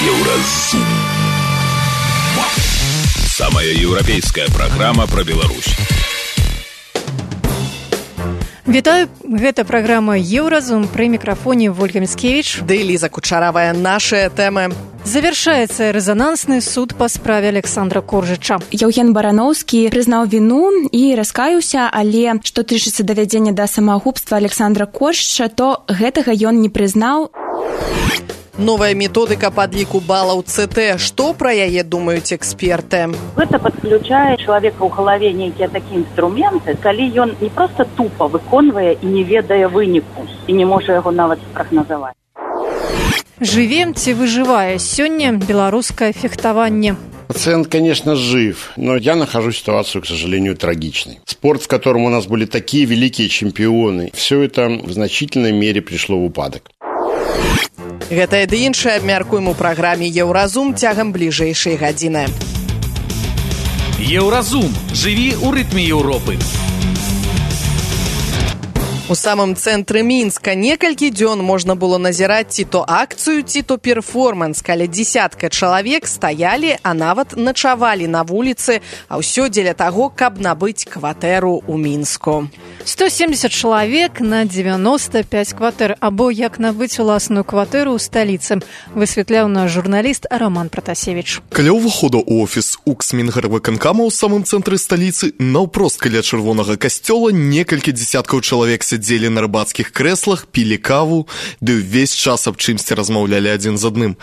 Еўразум. Самая еўрапейская праграма пра Беларусь. Вітаю, гэта праграма «Еўразум», пры мікрафоне Вольга Міцкевіч. Ды Ліза Кучаравая, нашыя тэмы. Завершаецца рэзанансны суд па справе Александра Коржыча. Яўген Барановскі прызнаў віну і раскаяўся, але што тычыцца давядзення да самагубства Александра Коржыча, то гэтага ён не прызнаў. Новая методыка падліку балаў ЦТ. Што пра яе думаюць эксперты? Гэта падключае чалавека ў галаве нейкія такія інструменты, калі ён не проста тупа выконвае і не ведае выніку, і не можа яго нават спрагназаваць. Жывем ці выжывае сёння беларускае фехтаванне? Пациент, конечно, жив, но я нахожу ситуацию, к сожалению, трагичной. Спорт, в котором у нас были такие великие чемпионы, все это в значительной мере пришло в упадок. Гэтае ды іншае абмяркуем у праграме «Еўразум» цягам бліжэйшай гадзіны. Еўразум. Жыві ў рытме Еўропы. У самым цэнтры Мінска некалькі дзён можна было назіраць ці то акцыю, ці то перформанс, каля дзесятка чалавек стаялі, а нават начавалі на вуліцы, а ўсё дзеля таго, каб набыць кватэру ў Мінску. 170 чалавек на 95 кватэр, або як набыць уласную кватэру ў сталіцы, высвятляў наш журналіст Роман Пратасевіч. Каля ўваходу ў офіс УКС Мінгарвыканкама ў самым цэнтры сталіцы, наўпрост каля чырвонага касцёла некалькі дзесяткаў чалавек сядзелі на рыбацкіх крэслах, пілі каву, ды ўвесь час аб чымсьці размаўлялі адзін з адным.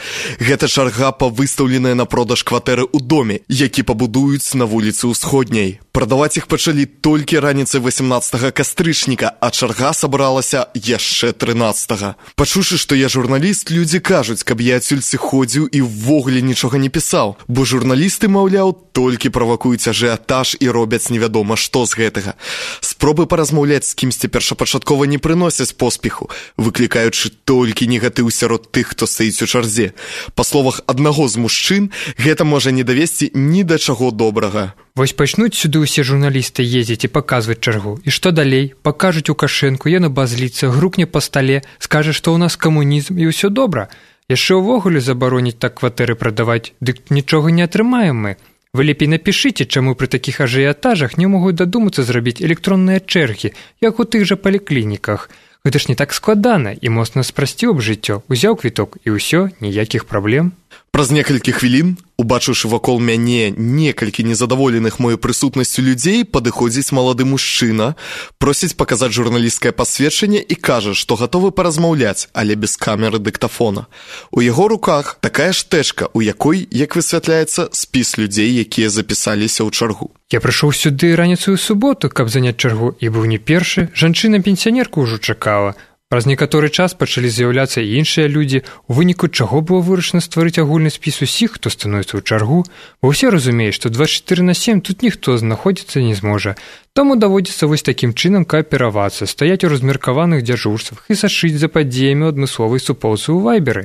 Гэта чарга па выстаўленыя на продаж кватэры ў доме, які пабудуюць на вуліцы Ўсходняй. Прадаваць іх пачалі толькі раніцай 18 кастрычніка, а чарга сабралася яшчэ 13. Пачуўшы, што я журналіст, людзі кажуць, каб я адсюль сыходзіў і ўвогуле нічога не пісаў, бо журналісты, маўляў, толькі правакуюць ажыятаж і робяць невядома што з гэтага. Спробы паразмаўляць з кімсьці першапачаткова не прыносяць поспеху, выклікаючы толькі негатыў сярод тых, хто стаіць у чарзе. Па словах аднаго з мужчын, гэта можа не давесці ні да чаго добрага. Вось пачнуць сюды ўсе журналісты ездзіць і паказваць чаргу. І што далей? Пакажуць Лукашэнку, ён абазліцца, грукне па стале, скажа, што ў нас камунізм і ўсё добра. Яшчэ ўвогуле забароніць так кватэры прадаваць, дык нічога не атрымаем мы. Вы лепей напішыце, чаму пры такіх ажыятажах не могуць дадумацца зрабіць электронныя чэргі, як у тых жа паліклініках. Гэта ж не так складана і моцна спрасціў б жыццё. Узяў квіток і ўсё, ніякіх праблем. Праз некалькі хвілін, убачыўшы вакол мяне некалькі незадаволеных маёй прысутнасцю людзей, падыходзіць малады мужчына, просіць паказаць журналісцкае пасведчанне і кажа, што гатовы паразмаўляць, але без камеры дыктафона. У яго руках такая штэчка, у якой, як высвятляецца, спіс людзей, якія запісаліся ў чаргу. Я прыйшоў сюды раніцу ў суботу, каб заняць чаргу, і быў не першы, жанчына-пенсіянерка ўжо чакала. Праз некаторы час пачалі з'яўляцца і іншыя людзі, у выніку чаго было вырашана стварыць агульны спіс усіх, хто становіцца ў чаргу, бо ўсе разумеюць, што 24/7 тут ніхто знаходзіцца не зможа. Таму даводзіцца вось такім чынам кааперавацца, стаяць у размеркаваных дзяжурствах і сачыць за падзеямі адмысловай суполцы ў вайберы.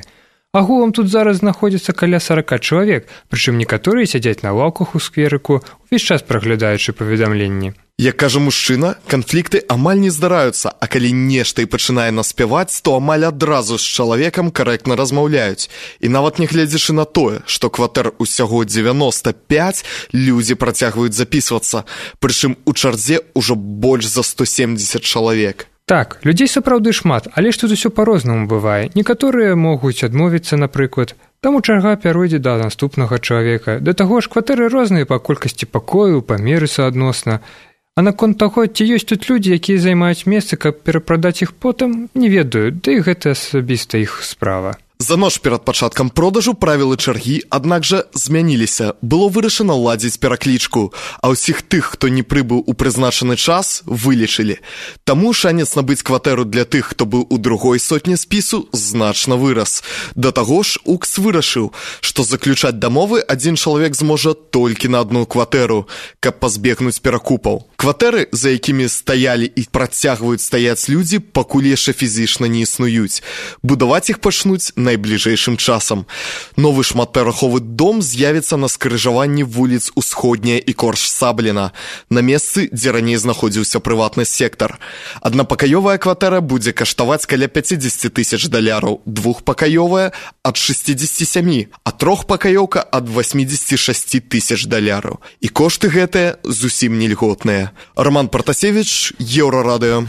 Агулам тут зараз знаходзіцца каля 40 чалавек, прычым некаторыя сядзяць на лаўках у скверыку, увесь час праглядаючы паведамленні. Як кажа мужчына, канфлікты амаль не здараюцца, а калі нешта і пачынае наспяваць, то амаль адразу з чалавекам карэктна размаўляюць. І нават не гледзячы на тое, што кватэр усяго 95, людзі працягваюць запісвацца, прычым у чарзе ўжо больш за 170 чалавек. Так, людзей сапраўды шмат, але ж тут усё па-рознаму бывае. Некаторыя могуць адмовіцца, напрыклад, таму чарга пяройдзе да наступнага чалавека. Да таго ж кватэры розныя па колькасці пакояў, памеры суадносна. А наконт таго, ці ёсць тут людзі, якія займаюць месцы, каб перапрадаць іх потым, не ведаю, да і гэта асабіста іх справа. За ноч перад пачаткам продажу правілы чаргі, аднак жа, змяніліся. Было вырашана ладзіць пераклічку, а ўсіх тых, хто не прыбыў у прызначаны час, вылічылі. Таму шанец набыць кватэру для тых, хто быў у другой сотні спісу, значна вырас. Да таго ж, УКС вырашыў, што заключаць дамовы адзін чалавек зможа толькі на одну кватэру, каб пазбегнуць перакупаў. Кватэры, за якімі стаялі і працягваюць стаяць людзі, пакуль яшчэ фізічна не існуюць. Будаваць іх пачнуць на найбліжэйшым часам. Новы шматпавярховы дом з'явіцца на скрыжаванні вуліц Усходняя і Корж-Сабліна, на месцы, дзе раней знаходзіўся прыватны сектар. Аднапакаёвая кватэра будзе каштаваць каля $50,000, двухпакаёвая – ад 67, а трохпакаёўка – ад $86,000. І кошты гэтыя зусім не льготныя. Роман Протасевич, Еўрарадыё.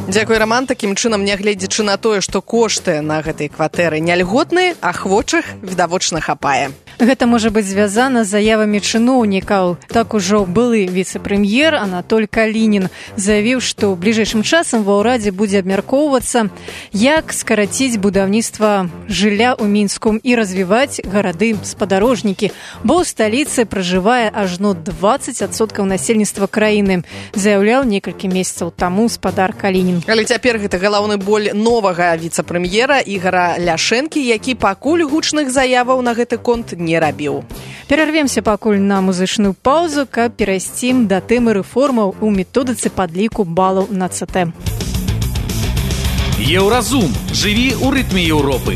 Дзякуй, Роман. Такім чынам, нягледзячы на тое, што кошты на гэтай кватэры не льготныя, ахвочых відавочна хапае. Гэта можа быць звязана з заявамі чыноўнікаў. Так ужо былы віцэ-прэм'ер Анатоль Калінін заявіў, што ў бліжэйшым часам ва ўрадзе будзе абмяркоўвацца, як скараціць будаўніцтва жылля ў Мінску і развіваць гарады-спадарожнікі, бо ў сталіцы пражывае ажно 20% насельніцтва краіны, заяўляў некалькі месяцаў таму спадар Калінін. Але цяпер гэта галоўны боль новага віцэ-прэм'ера Ігара Ляшэнкі, які пакуль гучных заяваў на гэты конт не рабіў. Перарвемся пакуль на музычную паузу, каб перайсці да тэмы рэформаў у методыцы падліку балаў на ЦТ. Еўразум. Жыві ў рытме Еўропы.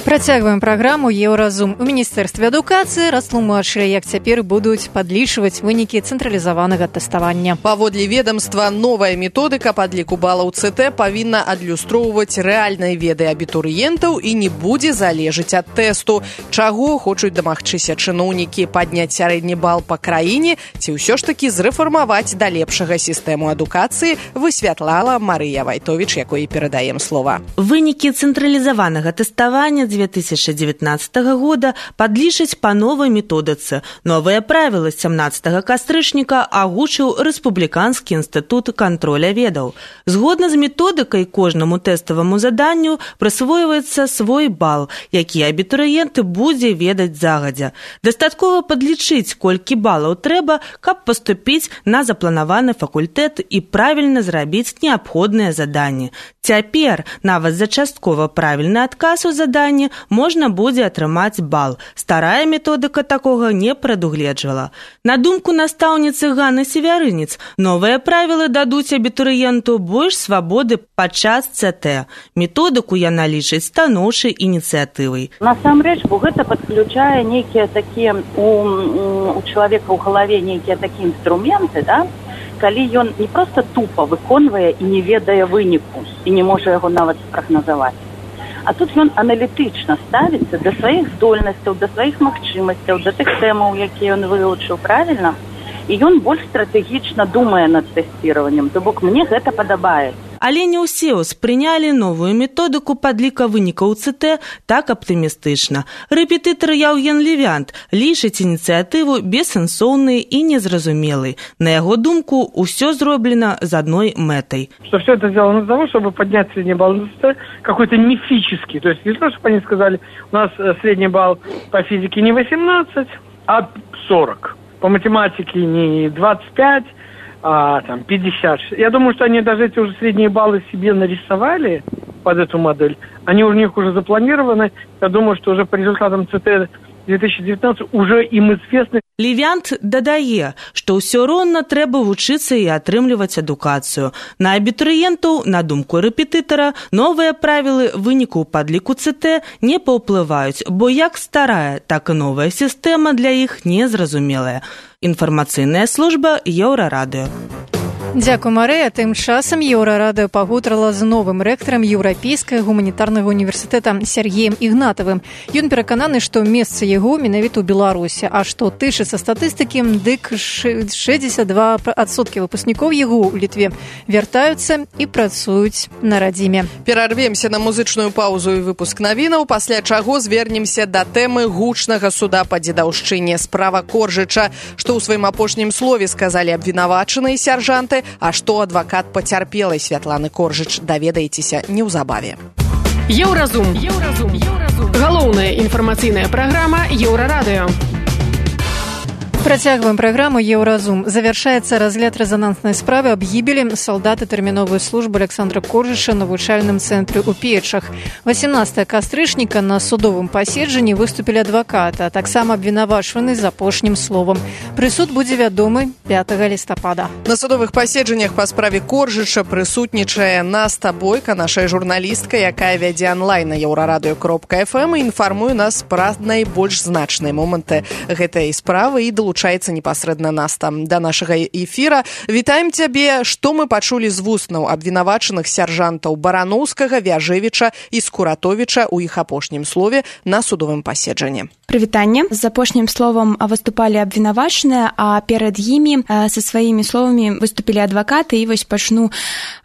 Працягваем праграму «Еўразум». У Міністэрстве адукацыі растлумачылі, як цяпер будуць падлічваць вынікі цэнтралізаванага тэставання. Паводле ведомства, новая методыка падліку балаў ЦТ павінна адлюстроўваць рэальныя веды абітурыентаў і не будзе залежыць ад тэсту. Чаго хочуць дамагчыся чыноўнікі? Падняць сярэдні бал па краіне ці ўсё ж такі зрэфармаваць да лепшага сістэму адукацыі, высвятляла Марыя Вайтовіч, якой перадаем слова. Вынікі цэнтралізаванага тэставання 2019 года падлічаць па новай методыцы. Новыя правілы 17 кастрычніка агучыў Рэспубліканскі інстытут кантроля ведаў. Згодна з методыкай, кожнаму тэставаму заданню прысвойваецца свой бал, які абітурыент будзе ведаць загадзя. Дастаткова падлічыць, колькі балаў трэба, каб паступіць на запланаваны факультэт і правільна зрабіць неабходныя заданні. Цяпер, нават за часткова правільны адказ у заданні, можна будзе атрымаць бал. Старая методыка такога не прадугледжвала. На думку настаўніцы Ганны Севярынец, новыя правілы дадуць абітурыенту больш свабоды падчас ЦТ. Методыку яна лічыць станоўчай ініцыятывай. Насамрэч, бо гэта падключае нейкія такія у чалавека ў галаве нейкія такія інструменты, да? Калі ён не проста тупа выконвае і не ведае выніку, і не можа яго нават спрагназаваць. А тут ён аналітычна ставіцца да сваіх здольнасцяў, да сваіх магчымасцяў, да тых тэмаў, якія ён вывучыў правільна, і ён больш стратэгічна думае над тэсціраваннем. То бок мне гэта падабаецца. Але не ўсе ўспрынялі новую методыку падліка вынікаў ЦТ так аптымістычна. Рэпетытар Яўген Левянт лічыць ініцыятыву бессэнсоўнай і незразумелай. На яго думку, усё зроблена з адной мэтай. Что все это сделано для того, чтобы поднять средний балл на ЦТ какой-то мифический. То есть не то, чтобы они сказали, у нас средний балл по физике не 18, а 40. По математике не 25, а там 50. Я думаю, что они даже эти уже средние баллы себе нарисовали под эту модель. Они у них уже запланированы. Я думаю, что уже по результатам ЦТ 2019 уже им известны. Левянт дадае, што ўсё роўна трэба вучыцца і атрымліваць адукацыю. На абітурыентаў, на думку рэпетытара, новыя правілы вынікаў падліку ЦТ не паўплываюць, бо як старая, так і новая сістэма для іх незразумелая. Інфармацыйная служба Еўрарадыё. Дзякуй, Марыя. Тым часам Еўрарадыё пагутарыла з новым рэктарам Еўрапейскага гуманітарнага універсітэта Сергеем Ігнатавым. Ён перакананы, што месца яго менавіта ў Беларусі, а што тычыцца статыстыкі, дык 62% выпускнікоў яго ў Літве вяртаюцца і працуюць на радзіме. Перарвемся на музычную паузу і выпуск навінаў, пасля чаго звернемся да тэмы гучнага суда па дзедаўшчыне справа Коржыча, што ў сваім апошнім слове сказалі абвінавачаныя сяржанты, а што адвакат пацярпелай Святланы Коржыч, даведаецеся неўзабаве. Еўразум. Галоўная інфармацыйная праграма Еўрарадыё. Працягваем праграму «Еўразум». Завяршаецца разгляд рэзананснай справы аб гібелі салдата тэрміновай службы Александра Коржыша на навучальным цэнтры ў Печах. 18 кастрычніка на судовым паседжанні выступілі адваката, а таксама абвінавачваны з апошнім словам. Прысуд будзе вядомы 5 лістапада. На судовых паседжаннях па справе Коржыша прысутнічае Наста Бойка, наша журналістка, якая вядзе онлайн на еўрарадыё.фм і інфармуе нас пра найбольш значныя моманты гэтай справы і долучаецца непасрэдна Наста да нашага эфіра. Вітаем цябе. Што мы пачулі з вуснаў абвінавачаных сяржантаў Бараноўскага, Вяжевіча і Скуратовіча ў іх апошнім слове на судовым паседжанні? Прывітанне. З апошнім словам выступалі абвінавачаныя, а перад імі са сваімі словамі выступілі адвакаты. І вось пачну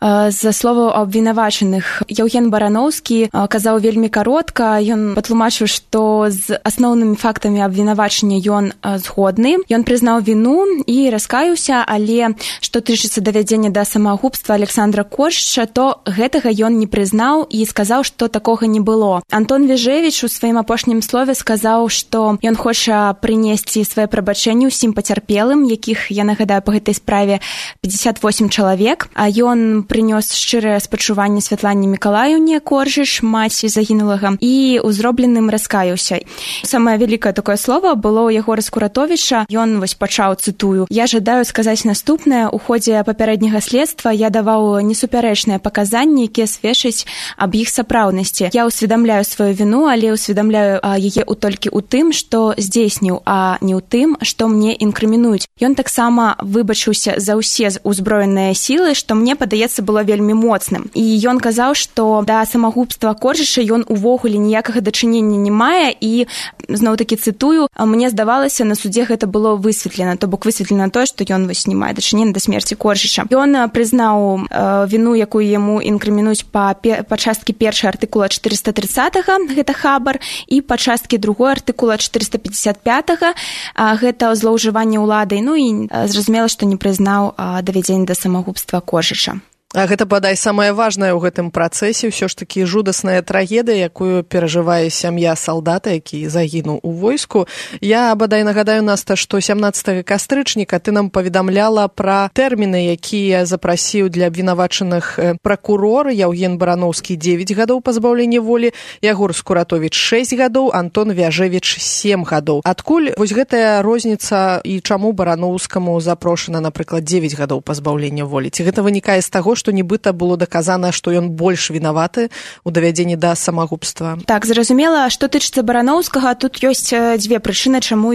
з словаў абвінавачаных. Яўген Бараноўскі казаў вельмі каротка. Ён патлумачыў, што з асноўнымі фактамі абвінавачання ён згодны. Ён прызнаў віну і раскаяўся, але што тычыцца давядзення да самагубства Александра Коржыча, то гэтага ён не прызнаў і сказаў, што такога не было. Антон Вяжевіч у сваім апошнім слове сказаў, што ён хоча прынесці свае прабачэнні ўсім пацярпелым, якіх, я нагадаю, па гэтай справе 58 чалавек. А ён прынёс шчырае спачуванне Святлане Мікалаіўне Коржыч, маці загінулага, і ў зробленым раскаяўся. Самае вялікае такое слова было ў Ягора Скуратовіча. Ён вось пачаў, цытую: «Я жадаю сказаць наступнае. У ходзе папярэдняга следства я даваў несупярэчныя паказанні, якія сведчаць аб іх сапраўднасці. Я ўсведамляю сваю віну, але ўсведамляю яе толькі ў тым, што здзейсніў, а не ў тым, што мне інкрымінуюць». Ён таксама выбачыўся за ўсе ўзброеныя сілы, што мне, падаецца, было вельмі моцным. І ён казаў, што да самагубства Коржыча ён увогуле ніякага дачынення не мае, і зноў-такі цытую: «Мне здавалася, на судзе гэта было высветлена», то бок высветлена тое, што ён вось не мае дачынення да смерці Коржыча. Ён прызнаў віну, якую яму інкрымінуюць па часткі 1 артыкула 430-га, гэта хабар, і па часткі 2 артыкула 455-га, гэта злоўжыванне ўладай. Ну і зразумела, што не прызнаў давядзення да самагубства Коржыча. А гэта, бадай, самае важнае ў гэтым працэсе, ўсё ж такі жудасная трагедыя, якую перажывае сям'я салдата, які загінуў у войску. Я, бадай, нагадаю, Наста, што 17 кастрычніка ты нам паведамляла пра тэрміны, якія запрасіў для абвінавачаных пракурор. Яўген Бараноўскі 9 гадоў пазбаўлення волі, Ягор Скуратовіч 6 гадоў, Антон Вяжевіч 7 гадоў. Адкуль вось гэтая розніца і чаму Бараноўскаму запрошана, напрыклад, 9 гадоў пазбаўлення волі? Ці гэта вынікае з таго, што нібыта было даказана, што ён больш вінаваты ў давядзенні да самагубства? Так, зразумела, што тычыцца Бараноўскага, тут ёсць дзве прычыны, чаму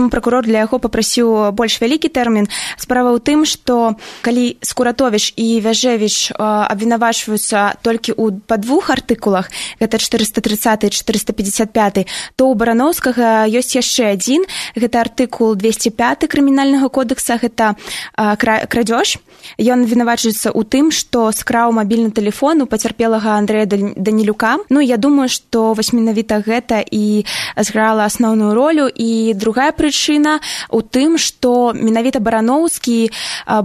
пракурор для яго папрасіў больш вялікі тэрмін. Справа ў тым, што калі Скуратовіч і Вяжевіч абвінавачваюцца толькі па 2 артыкулах, гэта 430 і 455, то ў Бараноўскага ёсць яшчэ адзін, гэта артыкул 205 крымінальнага кодекса, гэта крадзеж. Ён вінавачваецца у тым, што скраў мабільны тэлефон у пацярпелага Андрэя Данілюка. Ну, я думаю, што вось менавіта гэта і зграла асноўную ролю. І другая прычына ў тым, што менавіта Бараноўскі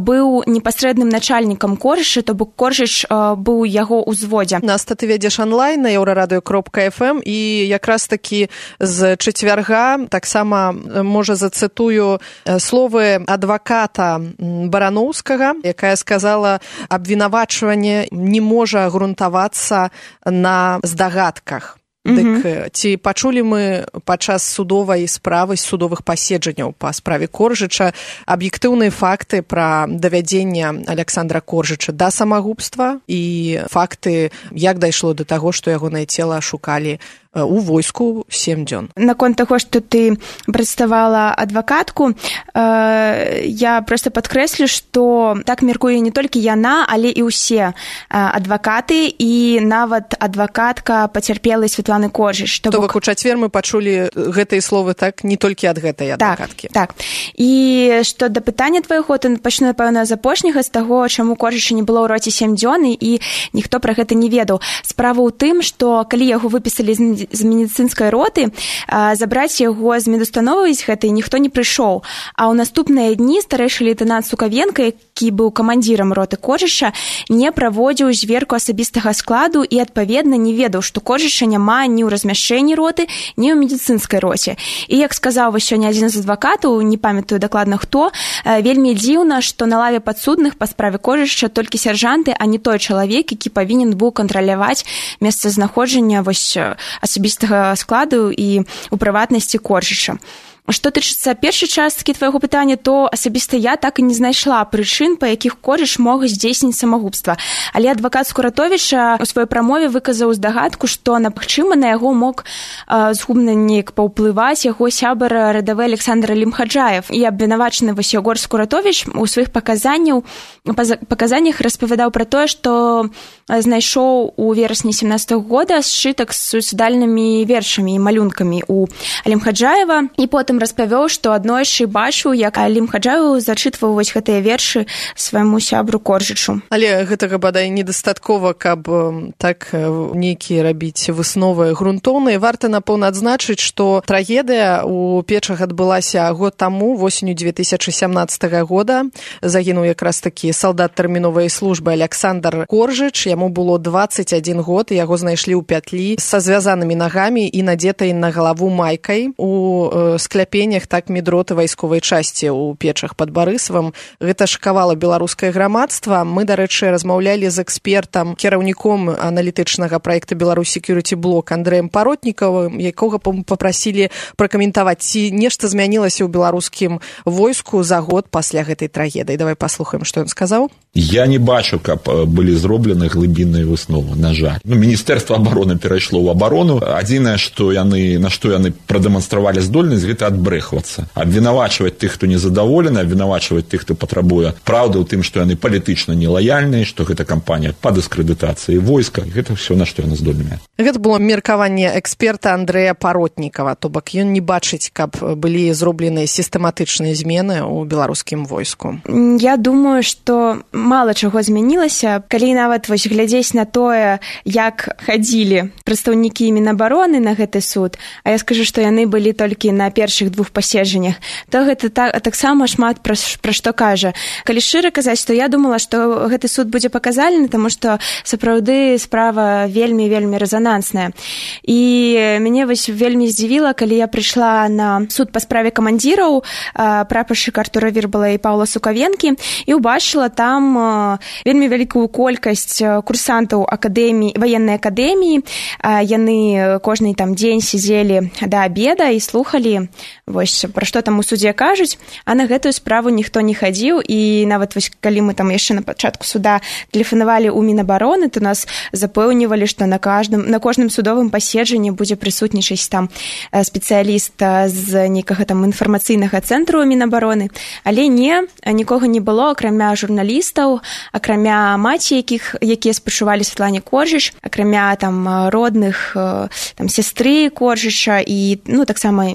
быў непасрэдным начальнікам Коржыча, то бок Коржыч быў яго ўзводзе. Наста, ты вядзеш онлайн на еўрарадыё.фм, і якраз такі з чацвярга таксама, можа, зацытую словы адваката Бараноўскага, якая сказала: абвінавачванне не можа грунтавацца на здагадках. Дык ці пачулі мы падчас судовай справы, судовых паседжанняў па справе Коржыча аб'ектыўныя факты пра давядзенне Александра Коржыча да самагубства і факты, як дайшло да таго, што ягонае цела шукалі у войску 7 дзён? Наконт таго, што ты прадставала адвакатку, я проста падкрэслю, што так меркуе не толькі яна, але і ўсе адвакаты, і нават адвакатка пацярпелай Святланы Коржыч. То бок у чацвер мы пачулі гэтыя словы, так, не толькі ад гэтай адвакаткі. Так. І што да пытання твайго, то пачну, напэўна, з апошняга, з таго, чаму Коржыча не было ў роце 7 дзён, і ніхто пра гэта не ведаў. Справа ў тым, што калі яго выпісалі медыцынскай роты, забраць яго з медустановы гэтай ніхто не прыйшоў. А ў наступныя дні старэйшы лейтэнант Сукавенка, які быў камандзірам роты Коржыча, не праводзіў зверку асабістага складу і, адпаведна, не ведаў, што Коржыча няма ні ў размяшчэнні роты, ні ў медыцынскай роце. І, як сказаў сёння адзін з адвакатаў, не памятаю дакладна хто, вельмі дзіўна, што на лаве падсудных па справе Коржыча толькі сяржанты, а не той чалавек, які павінен быў кантраляваць месцазнаходжання асабістага складу і у прыватнасці Коржыча. Што тычыцца першай часткі твайго пытання, то асабіста я так і не знайшла прычын, па якіх Коржыч мог здзейсніць самагубства. Але адвакат Скуратовіча у сваёй прамове выказаў здагадку, што магчыма на яго мог згубна неяк паўплываць яго сябар радавы Александр Лімхаджаев. І абвінавачаны Егор Скуратовіч у сваіх паказаннях распавядаў пра тое, што знайшоў у верасні 17-го года сшытак з суіцыдальнымі вершамі і малюнкамі у Лімхаджаева, і потым распавёў, што аднойчы бачыў, як Лімхаджаев зачытваў гэтыя вершы свайму сябру Коржычу. Але гэтага бадай недастаткова, каб так нейкія рабіць высновы грунтоўныя. Варта, напэўна, адзначыць, што трагедыя у Печах адбылася год таму, восенню 2017 года. Загінуў якраз такі салдат тэрміновай службы Александр Коржыч. Яму было 21 год, і яго знайшлі ў пятлі са звязанымі нагамі і надзетай на галаву майкай у скляпеннях так медроты вайсковай часці ў Печах пад Барысавым. Гэта шакавала беларускае грамадства. Мы, дарэчы, размаўлялі з экспертам, кіраўніком аналітычнага праекта Беларусь Security Block Андрэем Паротнікавым, якога папрасілі пракаментаваць, ці нешта змянілася ў беларускім войску за год пасля гэтай трагедыі. Давай паслухаем, што ён сказаў. Я не бачу, каб былі зроблены глыбінныя высновы, на жаль. Міністэрства абароны перайшло ў абарону. Адзінае, на што яны прадэманстравалі здольнасць, гэта адбрэхвацца. Абвінавачваць тых, хто незадаволены, абвінавачваць тых, хто патрабуе праўды ў тым, што яны палітычна нелаяльныя, што гэта кампанія па дыскрэдытацыі войска. Гэта ўсё, на што яны здольныя. Гэта было меркаванне эксперта Андрэя Паротнікава. То бок ён не бачыць, каб былі зробленыя сістэматычныя змены ў беларускім войску. Я думаю, што мала чаго змянілася. Калі нават глядзець на тое, як хадзілі прадстаўнікі Мінабароны на гэты суд, а я скажу, што яны былі толькі на першых двух паседжаннях, то гэта таксама шмат пра што кажа. Калі шчыра казаць, то я думала, што гэты суд будзе паказальны, таму што сапраўды справа вельмі рэзанансная. І мяне вельмі здзівіла, калі я прыйшла на суд па справе камандзіраў прапаршчыка Артура Вірбала і Паўла Сукавенкі і ўбачыла там вельмі вялікую колькасць курсантаў ваеннай акадэміі. Яны кожны там дзень сидзелі да абеда і слухалі, пра што там у судзе кажуць, а на гэтую справу ніхто не хадзіў. І нават калі мы там яшчэ на пачатку суда тэлефанавалі ў Мінабароны, то нас запэўнівалі, што на кожным судовым паседжанні будзе прысутнічаць там спецыяліст з нейкага там інфармацыйнага цэнтру Мінабароны. Але нікога не было, акрамя журналістаў, акрамя маці, якія спачувалі Святлане Коржыч, акрамя там родных там сястры Коржыча, і таксама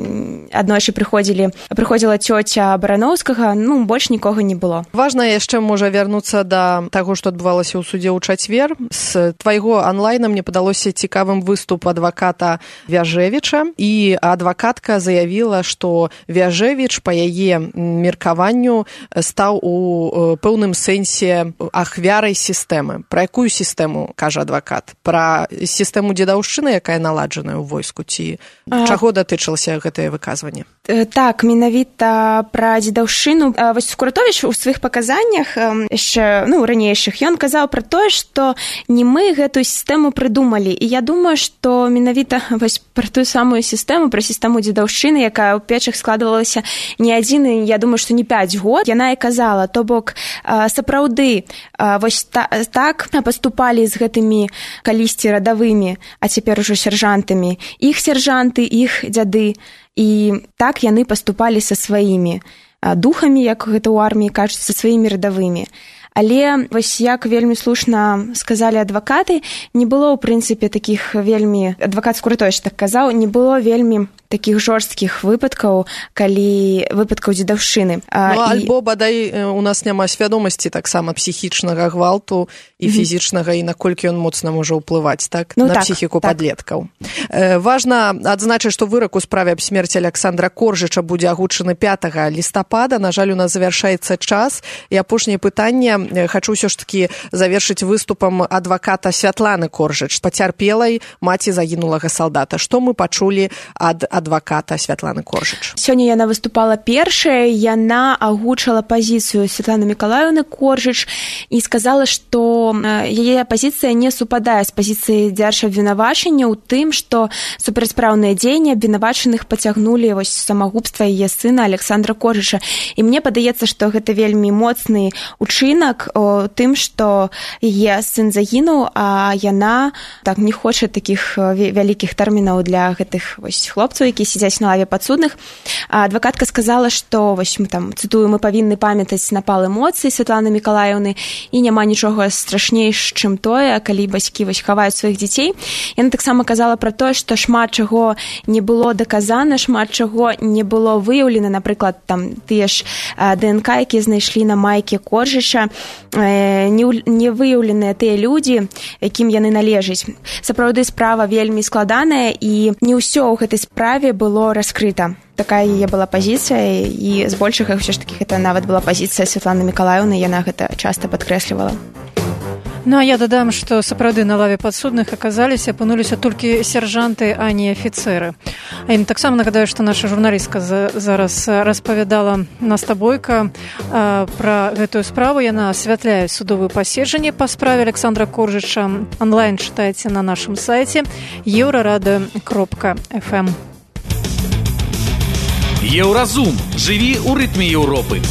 аднойчы прыходзіла цёця Барановскага, больш нікога не было. Важна яшчэ можа вярнуцца да таго, што адбывалася ў судзе ў чацвер. З твайго онлайна мне падалося цікавым выступ адваката Вяжевіча, і адвакатка заявіла, што Вяжевіч па яе меркаванню стаў у пэўным сэнсе ахвярай сістэмы. Пра якую сістэму кажа адвакат? Пра сістэму дзедаўшчыны, якая наладжаная ў войску, ці чаго датычылася гэтае выказванне? Так, менавіта пра дзедаўшчыну. Скуратовіч у сваіх паказаннях яшчэ ранейшых ён казаў пра тое, што не мы гэтую сістэму прыдумалі. І я думаю, што менавіта пра тую самую сістэму, пра сістэму дзедаўшчыны, якая ў Печах складвалася не адзін, я думаю, што не 5 год, яна і казала, то бок сапраўды так паступалі з гэтымі калісьці радавымі, а цяпер ужо сяржантамі, іх сяржанты, іх дзяды, і так яны паступалі са сваімі духамі, як гэта ў арміі кажуць, са сваімі радавымі. Але як вельмі слушна сказалі адвакаты, не было ў прынцыпе такіх вельмі, адвакат Скуратовіч так казаў, не было вельмі такіх жорсткіх выпадкаў дзедаўшчыны. Альбо бадай у нас няма свядомасці таксама псіхічнага гвалту і фізічнага, і наколькі ён моцна можа ўплываць на псіхіку падлеткаў. Важна адзначыць, што вырак у справе аб смерці Александра Коржыча будзе агучаны 5 лістапада. На жаль, у нас завяршаецца час. І апошняе пытанне хачу ўсё ж такі завершыць выступам адваката Святланы Коржыч, пацярпелай маці загінулага салдата. Што мы пачулі ад адваката Святланы Коржыч? Сёння яна выступала першая, яна агучыла пазіцыю Святланы Мікалаеўны Коржыч і сказала, што яе пазіцыя не супадае з пазіцыяй дзяржабвінавачання ў тым, што супрацьпраўныя дзеянні абвінавачаных пацягнулі самагубства яе сына Александра Коржыча. І мне падаецца, што гэта вельмі моцны учынак у тым, што яе сын загінуў, а яна не хоча такіх вялікіх тэрмінаў для гэтых хлопцаў, якія сядзяць на лаве падсудных. Адвакатка сказала, што, цытую, мы павінны памятаць напал эмоцый Святланы Мікалаеўны, і няма нічога страшнейш, чым тое, калі бацькі хаваюць сваіх дзяцей. Яна таксама казала пра тое, што шмат чаго не было даказана, шмат чаго не было выяўлена, напрыклад, тыя ж ДНК, якія знайшлі на майке Коржыча, не выяўленыя тыя людзі, якім яны належаць. Сапраўды справа вельмі складаная, і не ўсё ў гэтай справе было раскрыта. Такая яе была пазіцыя, і збольшага ўсё ж такі гэта нават была пазіцыя Святланы Мікалаеўны, яна гэта часта падкрэслівала. А я дадам, што сапраўды на лаве падсудных апынуліся толькі сяржанты, а не афіцэры. А ім таксама нагадаю, што наша журналістка зараз распавядала Наста Бойка пра гэтую справу. Яна асвятляе судовае паседжанне па справе Александра Коржыча. Онлайн чытайце на нашым сайце euradio.fm. Еўразум. Жыві ў рытме Еўропы.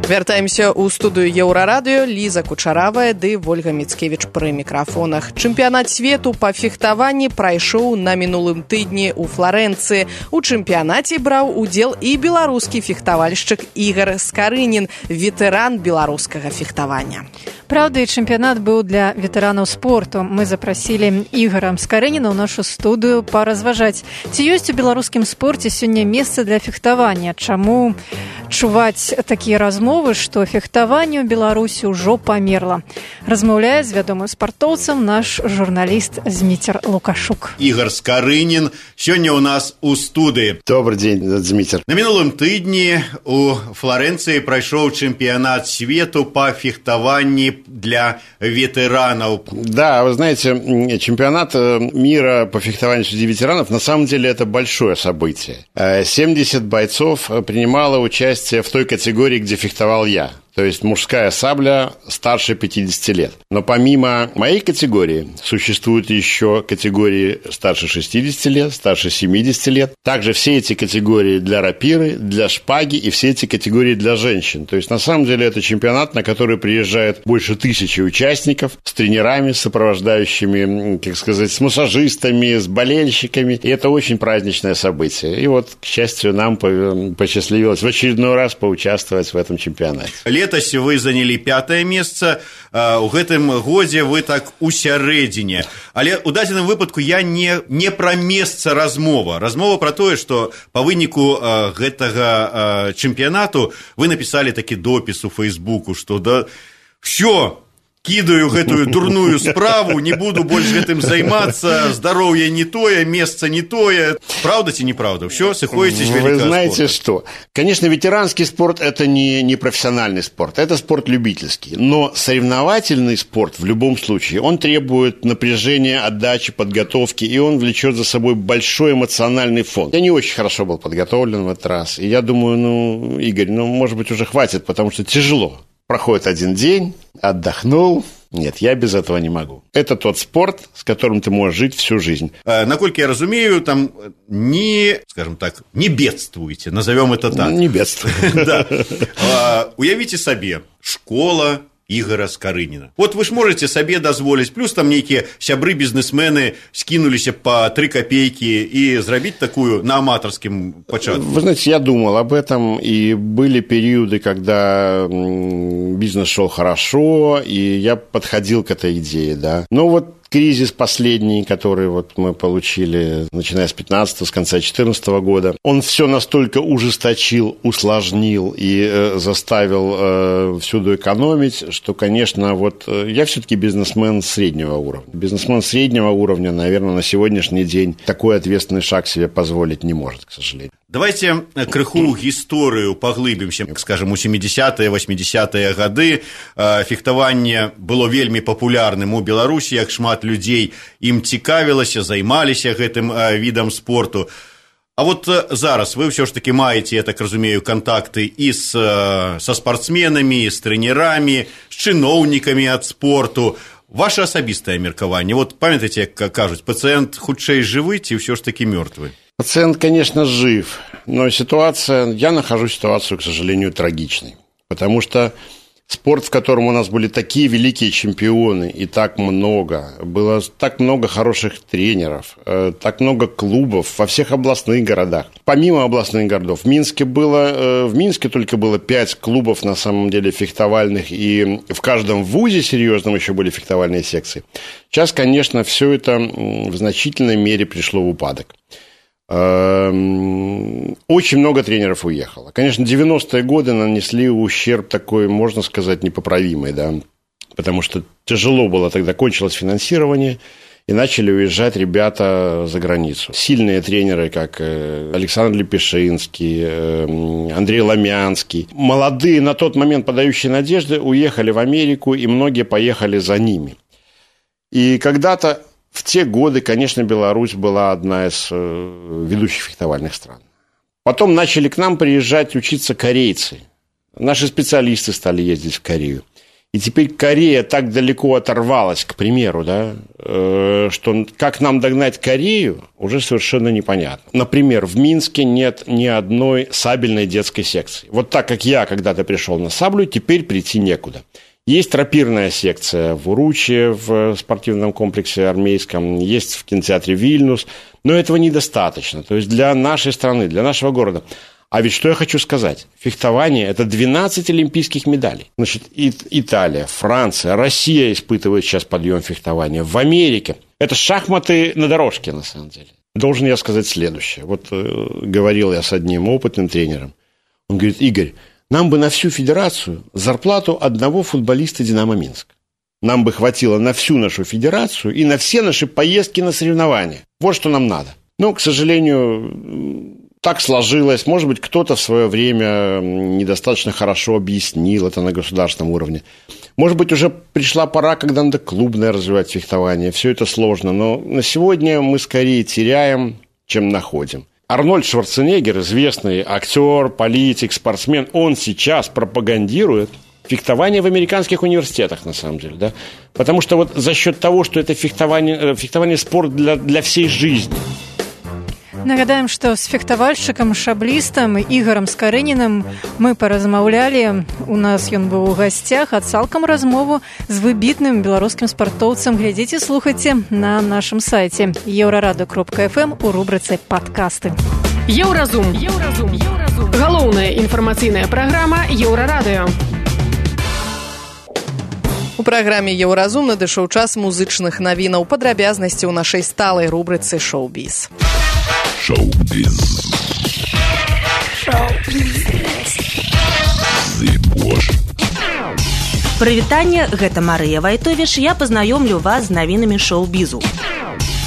Вяртаемся ў студыю Еўрарадыё. Ліза Кучаравая ды Вольга Міцкевіч пры мікрафонах. Чэмпіянат свету па фехтаванні прайшоў на мінулым тыдні ў Фларэнцыі. У чэмпіянаце браў удзел і беларускі фехтавальшчык Ігар Скарынін, ветэран беларускага фехтавання. Праўда, і чэмпіянат быў для ветэранаў спорту. Мы запрасілі Ігара Скарыніна ў нашу студыю паразважаць, ці ёсць у беларускім спорце сёння месца для фехтавання, чаму чуваць такія размовы, што фехтаванне ў Беларусі ўжо памерла. Размаўляе з вядомым спартоўцам наш журналіст Зміцер Лукашук. Ігар Скарынін сёння ў нас у студыі. Добрый дзень, Зміцер. На мінулым тыдні у Флоренцыі прайшоў чэмпіянат свету па фехтаванні для ветеранов. Да, вы знаете, чемпионат мира по фехтованию среди ветеранов на самом деле это большое событие. 70 бойцов принимало участие в той категории, где фехтовал я. То есть мужская сабля старше 50 лет. Но помимо моей категории существуют еще категории старше 60 лет, старше 70 лет. Также все эти категории для рапиры, для шпаги и все эти категории для женщин. То есть на самом деле это чемпионат, на который приезжает больше 1000 участников с тренерами, с сопровождающими, как сказать, с массажистами, с болельщиками. И это очень праздничное событие. И вот, к счастью, нам посчастливилось в очередной раз поучаствовать в этом чемпионате. Летась вы заняли 5-е месца, у гэтым годзе вы так у сярэдзіне. Але ў дадзеным выпадку я не пра месца размова. Размова пра тое, што па выніку гэтага чэмпіянату вы напісалі такі допіс у Фейсбуку, што да всё, кідаю гэтую дурную справу, не буду больш гэтым займацца, здароўе не тое, месца не тое. Правда ці неправда? Все, сыходите с великого спорта. Вы знаете что? Конечно, ветеранский спорт – это не профессиональный спорт, это спорт любительский. Но соревновательный спорт в любом случае, он требует напряжения, отдачи, подготовки, и он влечет за собой большой эмоциональный фон. Я не очень хорошо был подготовлен в этот раз, и я думаю, Игорь, может быть, уже хватит, потому что тяжело. Проходит один день, отдохнул. Нет, я без этого не могу. Это тот спорт, с которым ты можешь жить всю жизнь. Наколькі я разумею, там скажем так, не бедствуйте, назовем это так. Не бедствуйте. Да. Уявите себе, школа Ігара Скарыніна. Вот вы ж можете себе дазволіць, плюс там нейкія сябры-бізнесмены скинуліся по 3 копейки и зрабіць такую на аматорском початку. Вы знаете, я думал об этом, и были периоды, когда бизнес шел хорошо, и я подходил к этой идее, да. Но вот кризис последний, который вот мы получили, начиная с 15-го, с конца 2014 года, он все настолько ужесточил, усложнил и заставил всюду экономить, что, конечно, вот я все-таки бизнесмен среднего уровня. Бизнесмен среднего уровня, наверное, на сегодняшний день такой ответственный шаг себе позволить не может, к сожалению. Давайте крыху гісторыю паглыбімся. Скажем, у 70-е, 80-е гады фехтаванне было вельмі папулярным у Беларусі, як шмат людзей ім цікавілася, займаліся гэтым відам спорту. А вот зараз вы все ж таки маете, я так разумею, контакты и со спортсменами, и с тренерами, с чиновниками от спорту. Ваше асабістае меркаванне. Вот памятаеце, как кажуць, пациент хутчэй жывы ці все ж таки мертвый? Пациент, конечно, жив, но я нахожу ситуацию, к сожалению, трагичной. Потому что спорт, в котором у нас были такие великие чемпионы, и так много, было так много хороших тренеров, так много клубов во всех областных городах. Помимо областных городов, в Минске только было 5 клубов, на самом деле, фехтовальных, и в каждом вузе серьезном еще были фехтовальные секции. Сейчас, конечно, все это в значительной мере пришло в упадок. Очень много тренеров уехало. Конечно, 90-е годы нанесли ущерб такой, можно сказать, непоправимый, да, потому что тяжело было тогда, кончилось финансирование, и начали уезжать ребята за границу. Сильные тренеры, как Александр Лепешинский, Андрей Ломянский, молодые, на тот момент подающие надежды, уехали в Америку, и многие поехали за ними. И когда-то в те годы, конечно, Беларусь была одна из ведущих фехтовальных стран. Потом начали к нам приезжать учиться корейцы. Наши специалисты стали ездить в Корею. И теперь Корея так далеко оторвалась, к примеру, да, что как нам догнать Корею, уже совершенно непонятно. Например, в Минске нет ни одной сабельной детской секции. Вот так, как я когда-то пришел на саблю, теперь прийти некуда. Есть тропирная секция в Уруче, в спортивном комплексе армейском, есть в кинотеатре «Вильнюс», но этого недостаточно. То есть для нашей страны, для нашего города. А ведь что я хочу сказать? Фехтование – это 12 олимпийских медалей. Значит, Италия, Франция, Россия испытывают сейчас подъем фехтования. В Америке – это шахматы на дорожке, на самом деле. Должен я сказать следующее. Вот говорил я с одним опытным тренером. Он говорит: Игорь, нам бы на всю федерацию зарплату одного футболиста «Динамо Минск». Нам бы хватило на всю нашу федерацию и на все наши поездки на соревнования. Вот что нам надо. Но, к сожалению, так сложилось. Может быть, кто-то в свое время недостаточно хорошо объяснил это на государственном уровне. Может быть, уже пришла пора, когда надо клубное развивать фехтование. Все это сложно. Но на сегодня мы скорее теряем, чем находим. Арнольд Шварценеггер, известный актер, политик, спортсмен, он сейчас пропагандирует фехтование в американских университетах, на самом деле, да? Потому что вот за счет того, что это фехтование спорт для всей жизни. Нагадаем, што з фехтавальшчыкам шаблістам Ігорам Скарынінам мы паразмаўлялі. У нас ён быў у гасцях, а цалкам размову з выбітным беларускім спартоўцам глядзіце, слухайце на нашым сайце еўрарада.фм у рубрыцы «Падкасты». Еўразум. Галоўная інфармацыйная праграма Еўрарадыё. У праграме «Еўразум» надышоў час музычных навінаў. Падрабязнасці ў нашай сталай рубрыцы «Шоу-біз». Шоу-біз. Прывітанне, гэта Марыя Вайтовіш, я пазнаёмлю вас з навінамі шоу-бізу.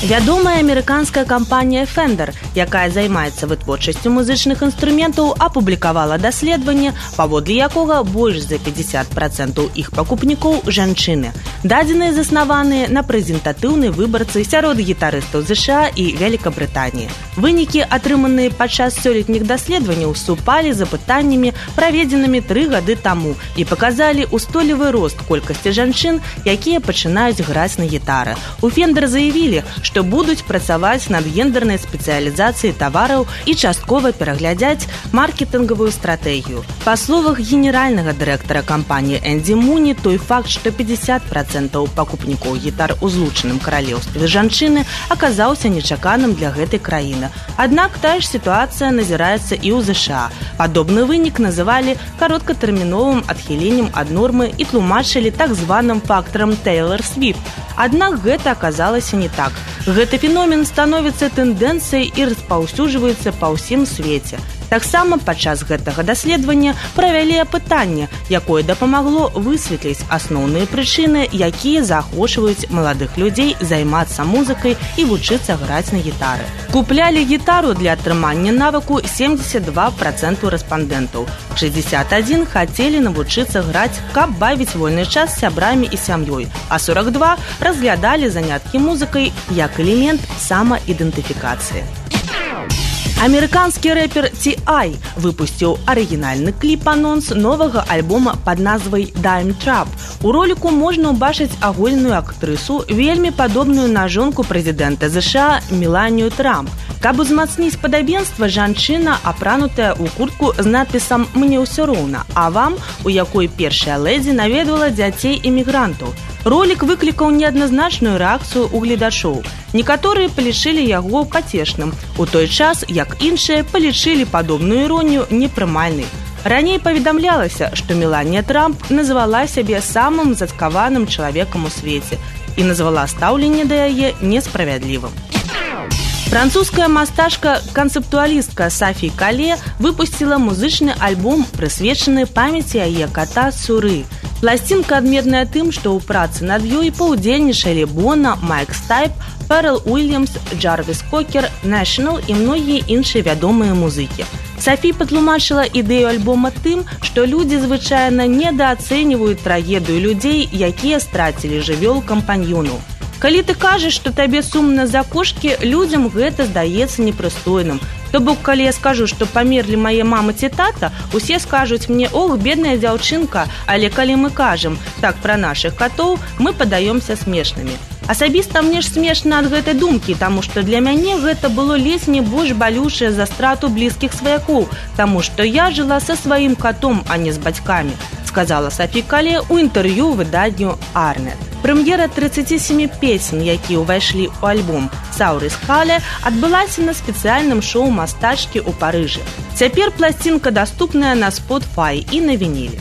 Вядомая амерыканская кампанія Fender, якая займаецца вытворчасцю музычных інструментаў, апублікавала даследаванне, паводле якога больш за 50% іх пакупнікоў жанчыны. Дадзеныя заснаваныя на прэзентатыўнай выбарцы сярод гітарыстаў ЗША і Вялікабрытаніі. Вынікі, атрыманыя падчас сёлетніх даследаванняў, супалі з апытаннямі, праведзенымі 3 гады таму, і паказалі устойлівы рост колькасці жанчын, якія пачынаюць граць на гітары. У Fender заявілі, што што будуць працаваць над гендернай спецыялізацыяй тавараў і часткова пераглядзяць маркетынгавую стратэгію. Па словах генеральнага дырэктара кампаніі Энді Муні, той факт, што 50% пакупнікоў гітар у Злучаным Каралеўстве жанчыны, аказаўся нечаканым для гэтай краіны. Аднак тая ж сітуацыя назіраецца і ў ЗША. Падобны вынік называлі кароткатэрміновым адхіленнем ад нормы і тлумачылі так званым фактарам Тейлор Свіфт. Аднак гэта аказалася не так. Гэты феномен становіцца тэндэнцыяй і распаўсюджваецца па ўсім свеце. Таксама падчас гэтага даследавання правялі апытанне, якое дапамагло высветліць асноўныя прычыны, якія заахвочваюць маладых людзей займацца музыкай і вучыцца граць на гітары. Куплялі гітару для атрымання навыку 72% рэспандэнтаў. 61 хацелі навучыцца граць, каб бавіць вольны час з сябрамі і сям'ёй, а 42 разглядалі заняткі музыкай як элемент самаідэнтыфікацыі. Амерыканскі рэпер T.I. выпусціў арыгінальны кліп-анонс новага альбома пад назвай «Dime Trap». У роліку можна ўбачыць агульную актрысу, вельмі падобную на жонку прэзідэнта ЗША Меланію Трамп. Каб узмацніць падабенства, жанчына апранутая ў куртку з надпісам «Мне ўсё роўна», а вам, у якой першая лэдзі наведвала дзяцей эмігрантаў. Ролік выклікаў неадназначную рэакцыю ў гледачоў. Некаторыя палічылі яго пацешным, у той час, як іншыя палічылі падобную іронію непрымальнай. Раней паведамлялася, што Меланія Трамп назвала сябе самым зацкаваным чалавекам у свеце і назвала стаўленне да яе несправядлівым. Французская мастачка-канцэптуалістка Сафі Кале выпусціла музычны альбом, прысвечаны памяці яе ката Суры. Пласцінка адметная тым, што ў працы над ёй паўдзельнічалі Бона, Майк Стайп, Ферэл Уильямс, Джарвіс Кокер, National і многія іншыя вядомыя музыкі. Сафі патлумачыла ідэю альбома тым, што людзі звычайна недаацэньваюць трагедыю людзей, якія страцілі жывёл-кампаньёнаў. Калі ты кажаш, што табе сумна за кошкі, людзям гэта здаецца непрыстойным. То бок, калі я скажу, што памерлі мае мама ці тата, усе скажуць мне: «Ох, бедная дзяўчынка», але калі мы кажам так пра нашых катоў, мы падаёмся смешнымі. Асабіста мне ж смешна ад гэтай думкі, таму што для мяне гэта было ледзь не больш балючае за страту блізкіх сваякоў, таму што я жыла са сваім катом, а не з бацькамі, сказала Сафі Кале ў інтэрв'ю выданню «Арнет». Прэм'ера 37 песень, якія ўвайшлі ў альбом «Саурис Хале», адбылася на спецыяльным шоу мастачкі ў Парыжы. Цяпер пласцінка даступная на Spotify і на вініле.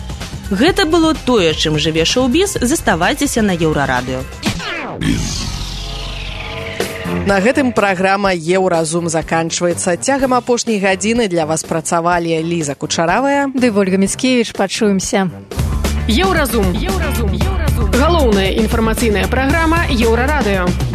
Гэта было тое, чым жыве шоу-біз. Заставайцеся на Еўрарадыё. На гэтым праграма «Еўразум» заканчваецца. Цягам апошняй гадзіны для вас працавалі Ліза Кучаравая ды Вольга Міцкевіч. Пачуемся. Еўразум. Галоўная інфармацыйная праграма Еўрарадыё.